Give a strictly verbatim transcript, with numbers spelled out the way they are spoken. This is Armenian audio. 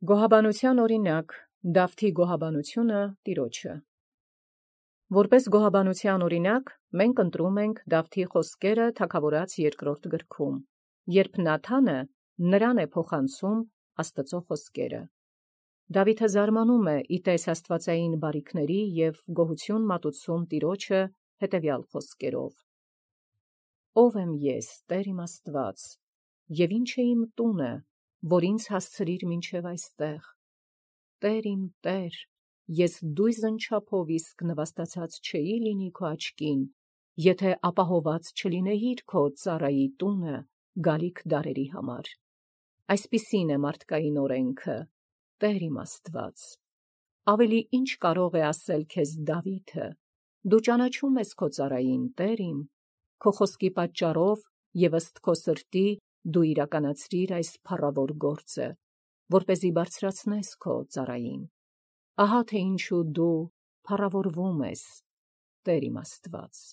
Գոհաբանության օրինակ Դավթի գոհաբանությունը Տիրոջը։ Որպես գոհաբանության օրինակ մենք ընտրում ենք Դավթի խոսքերը Թագաւորաց երկրորդ գրքում, երբ Նաթանը նրան է փոխանցում Աստծո խոսքերը։ Դավիթը զարմանում է իտես աստվածային բարիքների և գոհություն մատուցում Տիրոջը հետևյալ խոսքերով. «Ո՞վ եմ ես, Տեր իմ Աստված, և ի՞նչ է իմ տունը, որ ինձ հասցրիր մինչև այստեղ. Տեր իմ Տեր, ես դույզն չափով իսկ նվաստացած չէի լինի քո աչքին, եթե ապահոված չլինեիր քո ծառայի տունը գալիք դարերի համար։ Այսպիսին է մարդկային օրենքը, Տեր իմ Աստված։ Ավելի ի՞նչ կարող է ասել քեզ Դավիթը. դու ճանաչում ես քո ծառային, Տեր իմ, քո խոսքի պատճառով և ըստ քո սրտի դու իրականացրիր այս փառավոր գործը, որպեսզի բարձրացնես քո ծառային։ Ահա թե ինչու դու փառավորվում ես, Տեր իմ Աստված»։